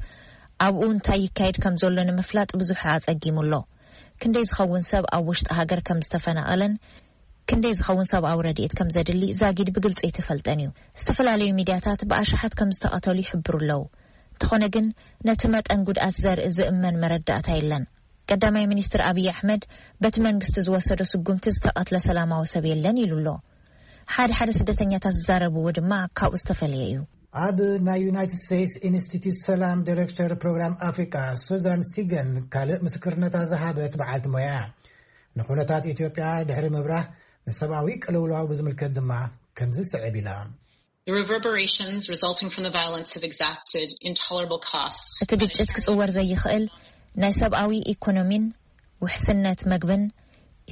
ኣብኡ እንታይ ይካየድ ከም ዘሎ ንምፍላጥ ብዙሕ ኣጸጊሙ ኣሎ። ክንደይ ዝኸውን ሰብ ኣብ ውሽጢ ሃገር ከም ዝተፈናቐለን ክንደይ ዝኸውን ሰብኣዊ ረድኤት ከም ዘድሊ ዛጊድ ብግልጺ ኣይተፈልጠን እዩ። ዝተፈላለዩ ሚድያታት ብኣሽሓት ከም ዝተቐተሉ ይሕብሩ ኣለዉ። እንተኾነ ግን፣ ነቲ መጠን ጉድኣት ዘርኢ ዝእመን መረዳእታ የለን። ቀዳማይ ሚኒስትር ኣብይ ኣሕመድ፣ በቲ መንግስቲ ዝወሰዶ ስጉምቲ ዝተቐትለ ሰላማዊ ሰብ የለን ኢሉ ኣሎ። ሓደ ሓደ ስደተኛታት ዝዛረብዎ ድማ ካብኡ ዝተፈለየ እዩ። ኣብ ናይ ዩናይትድ ስቴትስ ኢንስቲትዩት ሰላም ዳይሬክተር ፕሮግራም ኣፍሪቃ ሱዛን ሲገን ካልእ ምስክርነታ ዝሃበት በዓልቲ ሞያ እያ። ንኹነታት ኢትዮጵያ ድሕሪ ምብራህ፣ ንሰብኣዊ ቅልውላው ብዝምልከት ድማ ከምዚ ስዕብ ኢላ። The reverberations resulting from the violence have exacted intolerable costs. እቲ ግጭት ክጽወር ዘይኽእል ናይ ሰብኣዊ ኢኮኖሚን ውሕስነት መግብን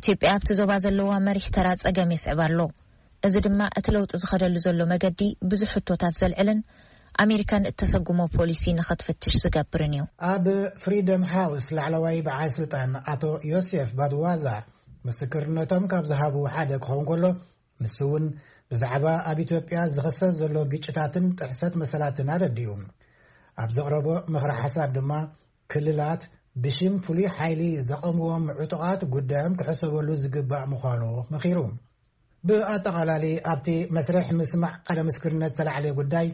ኢትዮጵያ ኣብቲ ዞባ ዘለዋ መሪሕ ተራ ጸገም የስዕብ ኣሎ። እዚ ድማ እቲ ለውጢ ዝኸደሉ ዘሎ መገዲ ብዙሕ ሕቶታት ዘልዕልን ኣሜሪካን እተሰጉሞ ፖሊሲ ንኸትፍትሽ ዝገብርን እዩ። ኣብ ፍሪደም ሃውስ ላዕለዋይ በዓል ስልጣን ኣቶ ዮሴፍ ባድዋዛ ምስክርነቶም ካብ ዝሃቡ ሓደ ክኸውን ከሎ፣ ንሱ እውን ብዛዕባ ኣብ ኢትዮጵያ ዝኸሰት ዘሎ ግጭታትን ጥሕሰት መሰላትን ኣረዲኡ። ኣብ ዘቕረቦ ምኽረ ሓሳብ ድማ፣ ክልላት ብሽም ፍሉይ ሓይሊ ዘቐምዎም ዕጡቓት ጉዳዮም ክሕሰበሉ ዝግባእ ምዃኑ መኺሩ። ብኣጠቓላሊ ኣብቲ መስርሕ ምስማዕ ቃለ ምስክርነት ዝተላዕለ ጉዳይ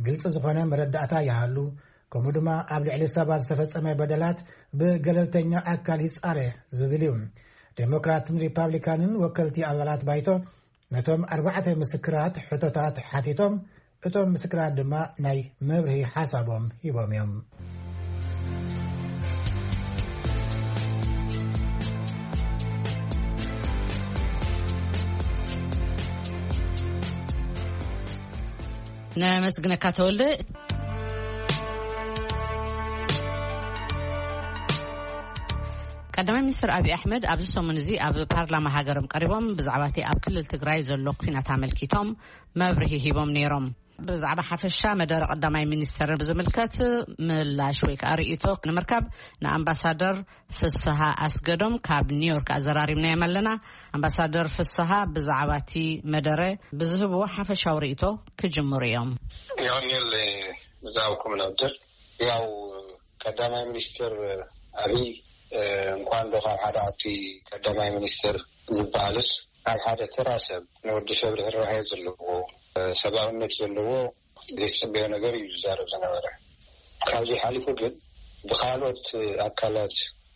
ግልፂ ዝኾነ መረዳእታ ይሃሉ፣ ከምኡ ድማ ኣብ ልዕሊ ሰባት ዝተፈጸመ በደላት ብገለልተኛ ኣካል ይጻረ ዝብል እዩ። ዴሞክራትን ሪፓብሊካንን ወከልቲ ኣባላት ባይቶ ነቶም ኣርባዕተ ምስክራት ሕቶታት ሓቲቶም፣ እቶም ምስክራት ድማ ናይ መብርሂ ሓሳቦም ሂቦም እዮም። ነመስግነካ ተወልደ። ቀዳማይ ሚኒስትር ኣብይ ኣሕመድ ኣብዚ ሰሙን እዚ ኣብ ፓርላማ ሃገሮም ቀሪቦም ብዛዕባ እቲ ኣብ ክልል ትግራይ ዘሎ ኩናት ኣመልኪቶም መብርሂ ሂቦም ነይሮም። ብዛዕባ ሓፈሻ መደረ ቀዳማይ ሚኒስተር ብዝምልከት ምላሽ ወይ ከዓ ርእይቶ ንምርካብ ንኣምባሳደር ፍስሃ ኣስገዶም ካብ ኒውዮርክ ኣዘራሪብናዮም ኣለና። ኣምባሳደር ፍስሃ ብዛዕባ እቲ መደረ ብዝህብዎ ሓፈሻዊ ርእይቶ ክጅምሩ እዮም። ዮኒል፣ ብዛዕባኩም ነብድር ያው ቀዳማይ ሚኒስትር ኣብይ እንኳን ዶ ካብ ሓደ ዓዲ ቀዳማይ ሚኒስትር ዝበሃልስ ካብ ሓደ ተራ ሰብ ንወዲ ሰብ ርህራሄ ዘለዎ ሰብኣውነት ዘለዎ ዘይትፅበዮ ነገር እዩ ዝዛረብ ዝነበረ። ካብዚ ሓሊፉ ግን ብካልኦት ኣካላት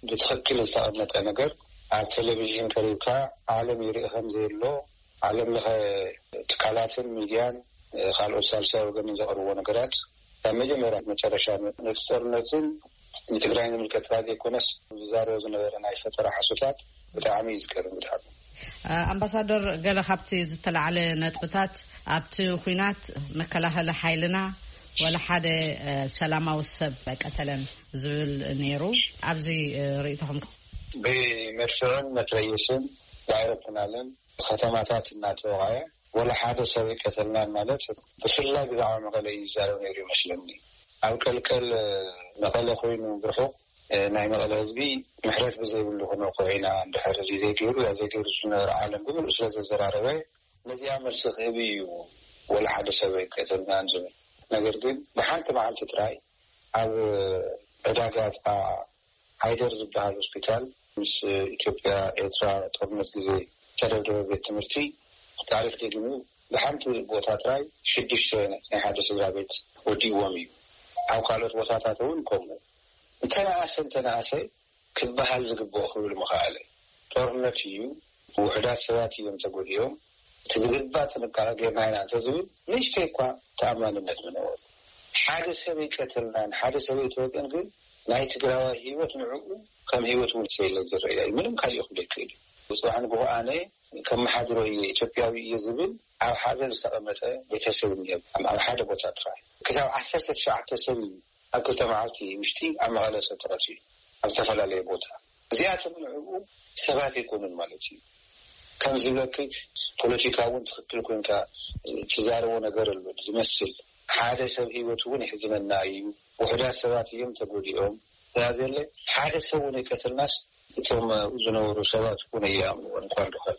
ብትኽክል ዝተቐመጠ ነገር ኣብ ቴሌቪዥን ቀሪብካ ዓለም ይርኢ ከም ዘየሎ ዓለም ለኸ ትካላትን ሚድያን ካልኦት ሳልሳይ ወገንን ዘቕርብዎ ነገራት ካብ መጀመርያ መጨረሻ ነቲ ጦርነትን ንትግራይ ንምልከት ጥራይ ዘይኮነስ ዝዛረቦ ዝነበረ ናይ ፈጠራ ሓሶታት ብጣዕሚ እዩ ዝገርም። ብጣዕሚ ኣምባሳደር፣ ገለ ካብቲ ዝተላዕለ ነጥብታት፣ ኣብቲ ኲናት መከላኸሊ ሓይልና ወላ ሓደ ሰላማዊ ሰብ ኣይቀተለን ዝብል ነይሩ። ኣብዚ ርእይቶኹም? ብመድፍዕን መትረየስን ብኣይሮፕላንን ከተማታት እናተወቐዐ ወላ ሓደ ሰብ ኣይቀተልናን ማለት፣ ብፍላይ ብዛዕባ መቐለ እዩ ዝዛረብ ነይሩ ይመስለኒ። ኣብ ቀልቀል መቐለ ኮይኑ ብርሑቕ ናይ መቐለ ህዝቢ ምሕረት ብዘይብሉ ክነውክዖ ኢና፣ እንድሕር እዚ ዘይገይሩ ያ ዘይገይሩ ዝነበረ ዓለም ብምሉእ ስለ ዘዘራረበ፣ ነዚኣ መልሲ ክህብ እዩ። ወላ ሓደ ሰብ ኣይቀተልናን ዝብል ነገር ግን ብሓንቲ መዓልቲ ጥራይ ኣብ ዕዳጋ ጥቓ ዓይደር ዝበሃል ሆስፒታል፣ ምስ ኢትዮጵያ ኤርትራ ጦርነት ግዜ ዝተደብደበ ቤት ትምህርቲ፣ ታሪክ ደጊሙ፣ ብሓንቲ ቦታ ጥራይ ሽዱሽተ ናይ ሓደ ስድራ ቤት ወዲእዎም እዩ። ኣብ ካልኦት ቦታታት እውን ከምኡ። እንተነኣሰ እንተነኣሰ ክበሃል ዝግብኦ ክብል ምኽኣለ። ጦርነት እዩ፣ ውሑዳት ሰባት እዮም ተጎዲኦም፣ እቲ ዝግባእ ጥንቃቐ ጌርና ኢና እንተዝብል ንእሽተይ እኳ ተኣማንነት ምነበሩ። ሓደ ሰብ ኣይቀተልናን ሓደ ሰብ ኣይተወቅን ግን ናይ ትግራዋይ ህይወት ንዕኡ ከም ህይወት እውን ሰይለ ዝረእያ እዩ። ምንም ካልእ ክብል ኣይክእል እዩ። ብፅባሕ ንግሆ ኣነ ከመሓድሮ እየ፣ ኢትዮጵያዊ እየ ዝብል ኣብ ሓዘን ዝተቐመጠ ቤተሰብ እኒኦ። ኣብ ሓደ ቦታ ጥራይ ክሳብ ዓሰርተ ትሽዓተ ሰብ እዩ ኣብ ክልተ መዓልቲ ውሽጢ ኣብ መቐለ ሰብ ተቐቲሉ ኣብ ዝተፈላለየ ቦታ። እዚኣቶም ንዕኡ ሰባት ኣይኮኑን ማለት እዩ። ከም ዝብለኪ ፖለቲካ እውን ትኽክል ኮንካ ትዛረቦ ነገር ኣሎ ዝመስል። ሓደ ሰብ ህይወት እውን ይሕዝነና እዩ። ውሑዳት ሰባት እዮም ተጎዲኦም። ስለዘለ ሓደ ሰብ እውን ኣይቀተልናስ እቶም ዝነበሩ ሰባት እውን ኣይኣምንዎን እኳ እንተኾነ።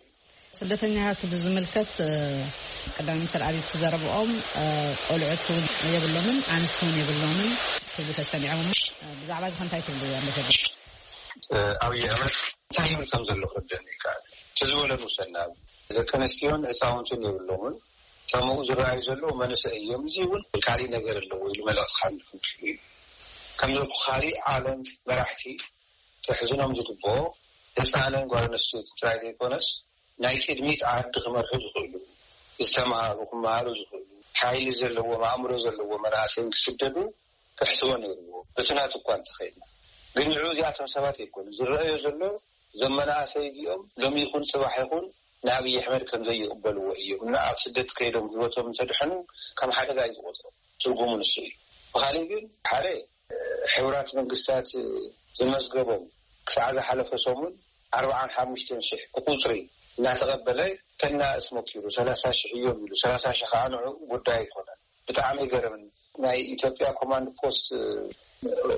ስደተኛታት ብዝምልከት ቀዳማይ ሚኒስትር ኣብይ እቲ ዘረብኦም ቆልዑት እውን የብሎምን ኣንስቲ እውን የብሎምን ክብሉ ተሰሚዖም። ብዛዕባ እዚ ከ እንታይ ትብሉ ኣምባሳደር? ኣብይ ኣሕመድ እንታይ ይብል ከም ዘሎ ክርደኒ ይከኣል። እቲ ዝበለ ንውሰድ ንኣብነት ደቂ ኣንስትዮን ህፃውንትን የብሎምን። እቶም ኣብኡ ዝረኣዩ ዘለዉ መንእሰይ እዮም። እዚ እውን ካሊእ ነገር ኣለዎ ኢሉ መልእኽቲ ክሓልፍ ክኢሉ እዩ። ከም ዘልኩ ካሊእ ዓለም መራሕቲ ክሕዝኖም ዝግብኦ ህፃንን ጓል ኣንስተይቲ ጥራይ ዘይኮነስ ናይ ቅድሚት ዓዲ ክመርሑ ዝኽእሉ፣ ዝተምሃሩ ክመሃሩ ዝኽእሉ፣ ሓይሊ ዘለዎም ኣእምሮ ዘለዎም መናእሰይን ክስደዱ ክሕስቦ ነይርዎ። በቲ ናቱ እኳ እንተኸይድና ግን ንዕኡ እዚኣቶም ሰባት ኣይኮኑ ዝረኣዮ ዘሎ። እዞም መናእሰይ እዚኦም ሎሚ ይኹን ፅባሕ ይኹን ንኣብይ ኣሕመድ ከም ዘይቕበልዎ እዮም እና ኣብ ስደት ከይዶም ህይወቶም እንተድሐኑ ከም ሓደጋ እዩ ዝቆፅሮ። ትርጉሙ ንሱ እዩ። ብኻሊእ ግን ሓደ ሕቡራት መንግስታት ዝመዝገቦም ክሳዕ ዝሓለፈ ሰሙን ኣርባዓን ሓሙሽተን ሽሕ ብቁፅሪ እናተቐበለ ከናእስ ሞኪሩ ሰላሳ ሽሕ እዮም ኢሉ። ሰላሳ ሽሕ ከዓ ንዑ ጉዳይ ኣይኮነን። ብጣዕሚ ይገርምን። ናይ ኢትዮጵያ ኮማንድ ፖስት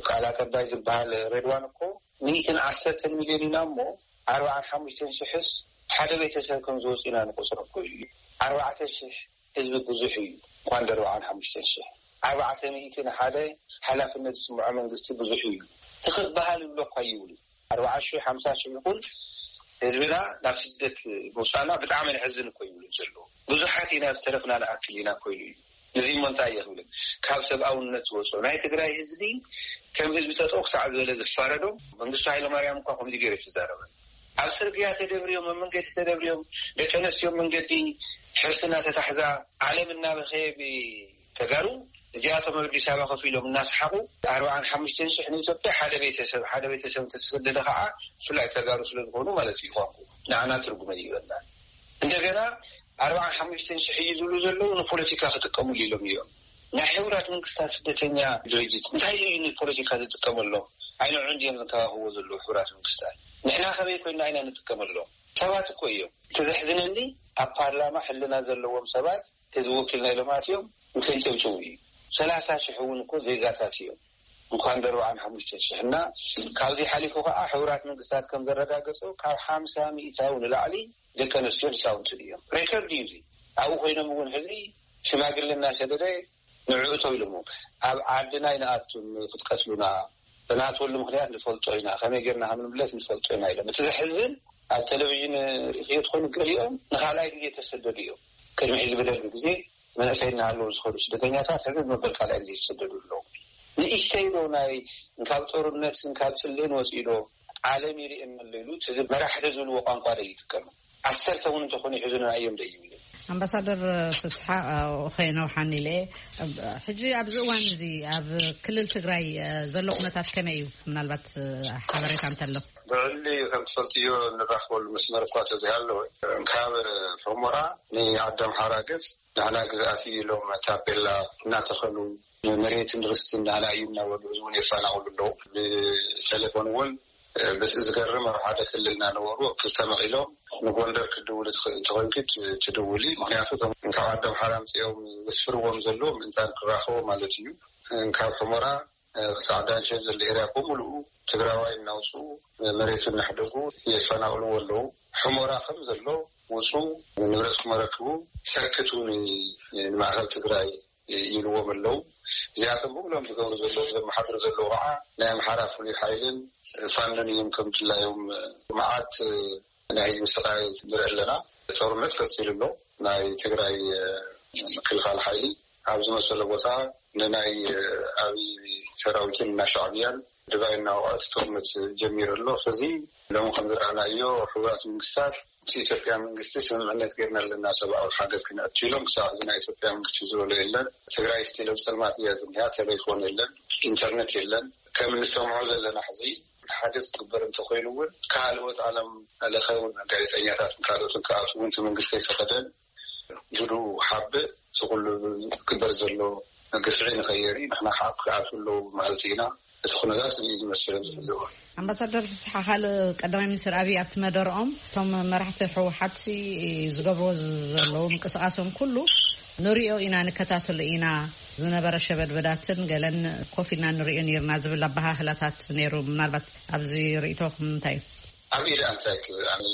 ቃል ኣቀባይ ዝበሃል ሬድዋን እኮ ሚእትን ዓሰርተን ሚልዮን ኢና እሞ ኣርባዓን ሓሙሽተን ሽሕስ ሓደ ቤተሰብ ከም ዝወፁ ኢና ንቆፅሮ እኮ እዩ። ኣርባዕተ ሽሕ ህዝቢ ብዙሕ እዩ። እንኳን ደርባዓን ሓሙሽተን ሽሕ ኣርባዕተ ሚእቲ ንሓደ ሓላፍነት ዝስምዖ መንግስቲ ብዙሕ እዩ። ትኽክበሃል ይብሎ እኳ ይብሉ። ኣርባዓ ሽሕ ሓምሳ ሽሕ ይኹን ህዝብና ናብ ስደት ምውፃእና ብጣዕሚ ነሕዝን እኮ ይብሉ ዘለዉ። ብዙሓት ኢና ዝተረፍና ንኣክል ኢና እኮ ኢሉ እዩ። እዚ እሞ እንታይ እየ ክብልን ካብ ሰብኣውነት ዝወፅኦ ናይ ትግራይ ህዝቢ ከም ህዝቢ ጠጠው ክሳዕ ዝበለ ዝፋረዶ መንግስቱ ሃይለማርያም እኳ ከምዚ ገይሩ ተዛረበ። ኣብ ስርግያ ተደብርዮም ኣብ መንገዲ ተደብርዮም ደቂ ኣነስትዮ መንገዲ ሕርሲ እናተታሕዛ ዓለም እናበኸየ ብተጋሩ እዚኣቶም ኣብ ኣዲስ ኣበባ ኮፍ ኢሎም እናሰሓቑ ኣርባዓን ሓሙሽተን ሽሕ ንኢትዮጵያ ሓደ ቤተሰብ ሓደ ቤተሰብ እንተተሰደደ ከዓ ብፍላይ ተጋሩ ስለዝኾኑ ማለት እዩ ቋንቁ ንዓና ትርጉመ ይበና እንደገና ኣርባዓን ሓሙሽተን ሽሕ እዩ ዝብሉ ዘለዉ ንፖለቲካ ክጥቀሙሉ ኢሎም እዮም። ናይ ሕቡራት መንግስታት ስደተኛ ድርጅት እንታይ እዩ ንፖለቲካ ዝጥቀመሎም? ኣይንዑ እንዲዮም ዝንከባኸብዎ ዘለዉ ሕቡራት መንግስታት። ንሕና ከመይ ኮይና ኢና ንጥቀመሎም? ሰባት እኮ እዮም። እቲ ዘሕዝነኒ ኣብ ፓርላማ ሕልና ዘለዎም ሰባት ህዝቢ ወኪልና ኢሎም ኣትዮም ንከይጨብጭቡ እዩ። ሰላሳ ሽሕ እውን እኮ ዜጋታት እዮም። እንኳን ደርባዓን ሓሙሽተ ሽሕ እና ካብዚ ሓሊፉ ከዓ ሕቡራት መንግስታት ከም ዘረጋገጾ ካብ ሓምሳ ሚእታዊ ንላዕሊ ደቂ ኣንስትዮን ህፃውንትን እዮም። ሬከርድ እዩ እዚ። ኣብኡ ኮይኖም እውን ሕዚ ሽማግለ እናሰደደ ንዕኡ ተው ኢሎሞ ኣብ ዓድና ይንኣቱም ክትቀትሉና ብናትወሉ ምክንያት ንፈልጦ ኢና ከመይ ጌርና ከም ንምለስ ንፈልጦ ኢና ኢሎም። እቲ ዘሕዝን ኣብ ቴሌቪዥን ርእኽዮ ትኾኑ ገሊኦም ንካልኣይ ግዜ ተሰደዱ እዮም። ቅድሚ ሕዚ ብደርጊ ግዜ መንእሰይ እናሃለዉ ዝኸዱ ስደተኛታት ሕዚ መበል ካልኣይ ግዜ ይሰደዱ ኣለዉ። ንእሽተይ ዶ ናይ ካብ ጦርነት ካብ ፅልእን ወፂኡ ዶ ዓለም ይርእየና ኣሎ ኢሉ እቲ መራሕቲ ዝብልዎ ቋንቋ ዶ ይጥቀም? ዓሰርተ እውን እንተኾኑ ይሕዙና እዮም ዶ ይብል? ኣምባሳደር ፍስሓ ከይነውሓኒ ኢለ ሕጂ ኣብዚ እዋን እዚ ኣብ ክልል ትግራይ ዘሎ ኩነታት ከመይ እዩ? ምናልባት ሓበሬታ እንተሎ ብዕሊ ከም ትፈልጥዮ እንራኽበሉ መስመር እኳ ተዘይሃለወ፣ ካብ ሑመራ ንዓዲ ኣምሓራ ገጽ ንሕና ግዝኣት እዩ ኢሎም ታፔላ እናተኸሉ፣ መሬትን ርስትን ንሕና እዩ እናበሉ ህዝቡን የፋናቕሉ ኣለዉ። ብቴሌፎን እውን በቲ ዝገርም ኣብ ሓደ ክልል እናነበሩ ክልተ መቒሎም ንጎንደር ክትድውል ትኽእል እንተኾይንኪ ት-፣ ትድውሊ። ምኽንያቱ እቶም ካብ ዓዲ ኣምሓራ ኣምፅኦም ዘስፍርዎም ዘለዉ ምእንታን ክራኸቡ ማለት እዩ። ካብ ሑመራ ክሳዕ ዳንሸ ዘሎ ኤርያ ብምሉኡ ትግራዋይ እናውፅኡ መሬቱ እናሕደጉ የፈናቕልዎ ኣለዉ። ሑመራ ከም ዘሎ ውፁ፣ ንብረትኩም ኣረክቡ፣ ሰክቱ ን-፣ ንማእኸል ትግራይ ይብልዎም ኣለዉ። እዚኣቶም ብምሎም ዝገብሩ ዘለዉ፣ ዘመሓድሩ ዘለዉ ከዓ ናይ ኣምሓራ ፍሉይ ሓይልን ፋኖን እዮም። ከም ድላዮም መዓት ናይ ህዝቢ ስቃይ ንርኢ ኣለና። ጦርነት ቀፂሉ ኣሎ። ናይ ትግራይ ምክልኻል ሓይሊ ኣብ ዝመሰሎ ቦታ ንናይ ኣብይ ሰራዊትን እና ሻዕብያን ድባይ እናወቕዐ እቲ ጦርነት ጀሚሩ ኣሎ። ስለዚ ሎሚ ከም ዝረኣናዮ ሕቡራት መንግስታት ምስ ኢትዮጵያ መንግስቲ ስምምዕነት ጌርና ኣለና ሰብኣዊ ሓገዝ ክነእቱ ኢሎም፣ ክሳብ ሕዚ ናይ ኢትዮጵያ መንግስቲ ዝበሎ የለን። ትግራይ ስቲል ኣብ ፀልማት እያ ዝኒሃ፣ ቴሌፎን የለን፣ ኢንተርነት የለን። ከም እንሰምዖ ዘለና ሕዚ ሓደ ክግበር እንተኮይኑ እውን ካልኦት ዓለም ለኸ እውን ጋዜጠኛታትን ካልኦትን ክኣትዉ እውን እቲ መንግስቲ ኣይፈቀደን። ጅዱ ሓብእ እቲ ኩሉ ክግበር ዘሎ ግፍዒ ንኸየርኢ ንሕና ከዓ ክኣትዉ ኣለዉ ማለት ኢና። እቲ ኩነታት እዚ እዩ ዝመስል ኣብዚ ሕዚ እዋን። ኣምባሳደር ፍስሓ፣ ካልእ ቀዳማይ ሚኒስትር ኣብይ ኣብቲ መደርኦም እቶም መራሕቲ ህወሓት ሲ ዝገብርዎ ዘለዉ ምንቅስቃሶም ኩሉ ንሪኦ ኢና፣ ንከታተሎ ኢና፣ ዝነበረ ሸበድበዳትን ገለን ኮፍ ኢልና ንሪኦ ነይርና ዝብል ኣበሃህላታት ነይሩ። ምናልባት ኣብዚ ርእይቶኹም እንታይ እዩ? ኣብ ኢድ ኣንታይ ክብል ኣነ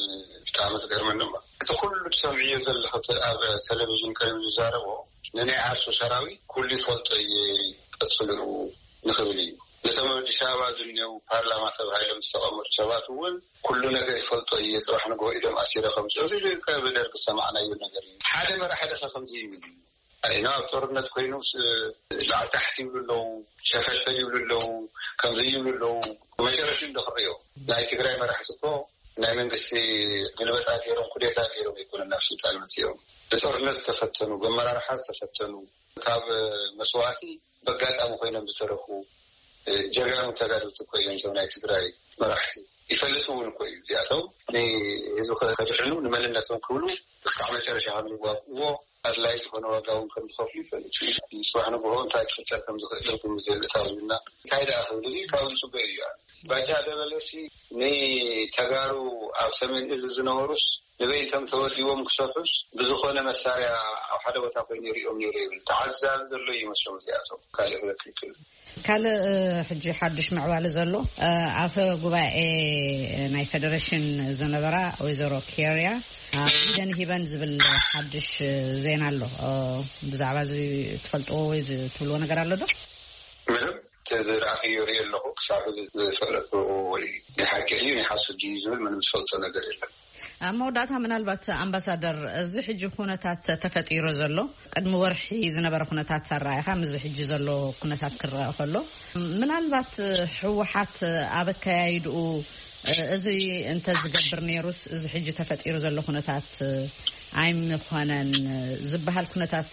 ብጣዕሚ ዝገርመኒ እሞ፣ እቲ ኩሉ ትሰምዕዮ ዘለኹ እቲ ኣብ ቴሌቪዥን ቀሪቡ ዝዛረቦ ንናይ ዓርሱ ሰራዊት ኩሉ ይፈልጦ እየ፣ ቀጽልኡ ንኽብል እዩ። ነቶም ኣብ ኣዲስ ኣበባ ዝኒአው ፓርላማ ተባሂሎም ዝተቐመጡ ሰባት እውን ኩሉ ነገር ይፈልጦ እየ፣ ጽባሕ ንግሆ ኢዶም ኣሲረ ከምጽኡ፣ እዚ ብደርጊ ዝሰማዕናዮ ነገር እዩ። ሓደ መራሒ ደኸ ከምዚ ይብል እዩ? ኣይኖ ኣብ ጦርነት ኮይኑ ስ-፣ ላዕሊ ታሕቲ ይብሉ ኣለዉ፣ ሸፈልፈል ይብሉ ኣለዉ፣ ከምዚ ይብሉ ኣለዉ። መጨረሽኡ እንዶ ክርእዮ። ናይ ትግራይ መራሕቲ እኮ ናይ መንግስቲ ግልበጣ ገይሮም፣ ኩዴታ ገይሮም ኣይኮኑን ናብ ስልጣን መፂኦም። ብጦርነት ዝተፈተኑ፣ ብመራርሓ ዝተፈተኑ፣ ካብ መስዋእቲ በጋጣሚ ኮይኖም ዝተረፉ ጀጋኑ ተጋደልቲ እኮ እዮም እዞም ናይ ትግራይ መራሕቲ። ይፈልጡ እውን እኮ እዩ እዚኣቶም ንህዝቢ ከድሕኑ፣ ንመንነቶም ክብሉ እስካዕ መጨረሻ ከም ዝዋግእዎ፣ ኣድላይ ዝኾነ ዋጋ እውን ከም ዝኸፍሉ ይፈልጡ እዩ። ጽባሕ ንግሆ እንታይ ክፍጠር ከም ዝኽእል ርጉም ዘይብእታውና እንታይ ደኣ ክብል እዚ ካብኡ ዝጽበ እዩ። ባጫ ደበለሲ ንተጋሩ ኣብ ሰሜን እዝ ዝነበሩስ ንበይንቶም ተወዲቦም ክሰርሑስ ብዝኾነ መሳርያ ኣብ ሓደ ቦታ ኮይኑ ይሪኦም ነይሩ ይብል። ተዓዛቢ ዘሎ ይመስሎም እዚኣቶም። ካልእ ክብለካ ይክእል። ካልእ፣ እ፣ ሕጂ ሓድሽ ምዕባለ ዘሎ፣ እ፣ ኣፈ ጉባኤ ናይ ፌደሬሽን ዝነበራ ወይዘሮ ኬርያ፣ እ፣ ኢደን ሂበን ዝብል ሓድሽ ዜና ኣሎ። እ፣ ብዛዕባ እዚ ትፈልጥዎ ወይ ትብልዎ ነገር ኣሎ ዶ? ምንም። እቲ ዝረኣኽዮ ሪኦ ኣለኹ። ክሳብ ሕዚ ዝፈለጥኩ ወይ ናይ ሓቂ ድዩ ናይ ሓሶት ድዩ ዝብል ምንም ዝፈልጦ ነገር የለን። ኣብ መወዳእታ ምናልባት ኣምባሳደር፣ እዚ ሕጂ ኩነታት ተፈጢሩ ዘሎ፣ ቅድሚ ወርሒ ዝነበረ ኩነታት ኣረኣእኻ ምስዚ ሕጂ ዘሎ ኩነታት ክረአ ከሎ፣ ምናልባት ህወሓት ኣብ ኣከያይድኡ እዚ እንተዝገብር ነይሩስ እዚ ሕጂ ተፈጢሩ ዘሎ ኩነታት ኣይምኾነን ዝበሃል ኩነታት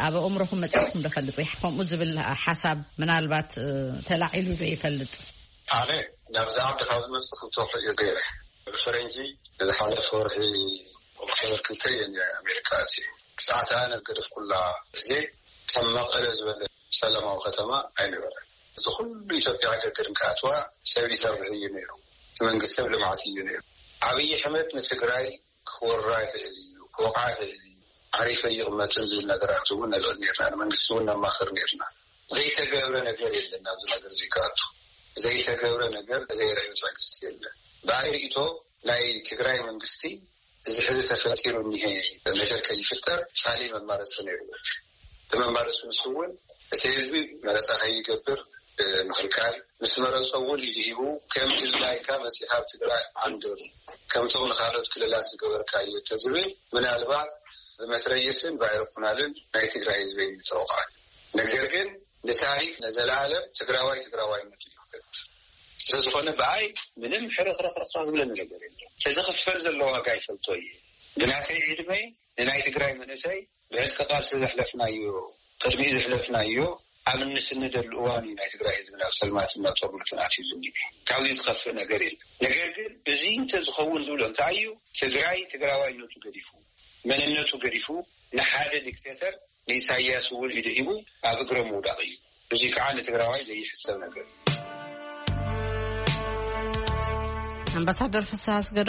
ኣብ ኣእምሮኹም መፂኡኩም ዶ ፈልጥ ወይ ከምኡ ዝብል ሓሳብ ምናልባት ተላዒሉ ዶ ይፈልጥ? ኣነ ናብዚ ዓዲ ካብ ዝመፅእ ክልተ ወርሒ እዩ ገይረ። ብፈረንጂ ዝሓለፈ ወርሒ ኦክቶበር ክልተ እየ ኣሜሪካ ኣትየ። ክሳዕ እቲ ኣነ ዝገደፍኩላ ግዜ ከም መቐለ ዝበለ ሰላማዊ ከተማ ኣይነበረን። እዚ ኩሉ ኢትዮጵያ ሃገር ግን ክኣትዋ ሰብ ይሰርሕ እዩ ነይሩ። እቲ መንግስቲ ሰብ ልምዓት እዩ ነይሩ። ኣብይ ኣሕመድ ንትግራይ ክወራ ይኽእል እዩ፣ ክወቕዓ ይኽእል እዩ፣ ዓሪፈ ይቕመጥን ዝብል ነገራት እውን ነልዕል ነርና። ንመንግስቲ እውን ነማኽር ነርና። ዘይተገብረ ነገር የለን። ኣብዚ ነገር እዚ ክኣቱ ዘይተገብረ ነገር፣ ዘይረኣዩ ትዕግስቲ የለን። ብኣይ ርእይቶ ናይ ትግራይ መንግስቲ እዚ ሕዚ ተፈጢሩ እኒሄ ነገር ከይፍጠር ካልእ መማረፂ ነይርዎ። እቲ መማረፂ ንሱ እውን እቲ ህዝቢ መረፃ ከይገብር ምኽልካል፣ ምስ መረፆ እውን ኢዱ ሂቡ ከም ድላይካ መፂኻ ኣብ ትግራይ ዓንድር፣ ከምቶም ንካልኦት ክልላት ዝገበርካዮ እንተዝብል ምናልባት ብመትረየስን ብኣይሮፕላንን ናይ ትግራይ ህዝቢ ኣይምተወቕዐን። ነገር ግን ንታሪክ ንዘለኣለም ትግራዋይ ትግራዋይነቱ እዩ ክፈልጥ። ስለዝኾነ ብኣይ ምንም ሕርኽርኽርኽ ዝብለኒ ነገር የለን። እቲ ዝኽፈል ዘሎ ዋጋ ይፈልጦ እየ። ብናተይ ዕድመ ንናይ ትግራይ መንእሰይ ብዕጥቂ ቃልሲ ዘሕለፍናዮ፣ ቅድሚኡ ዘሕለፍናዮ ኣብ እንስንደሉ እዋን እዩ ናይ ትግራይ ህዝቢ ናብ ሰልማትን ናብ ጦርነትን ኣትዩ ዝኒኤ። ካብዚ ዝኸፍእ ነገር የለን። ነገር ግን እዚ እንተዝኸውን ዝብሎ እንታይ እዩ? ትግራይ ትግራዋይነቱ ገዲፉ፣ መንነቱ ገዲፉ፣ ንሓደ ዲክቴተር ንኢሳያስ እውን ኢዱ ሂቡ ኣብ እግሮም ምውዳቕ እዩ። እዚ ከዓ ንትግራዋይ ዘይሕሰብ ነገር እዩ። ኣምባሳደር ፍስሃ ኣስገዶም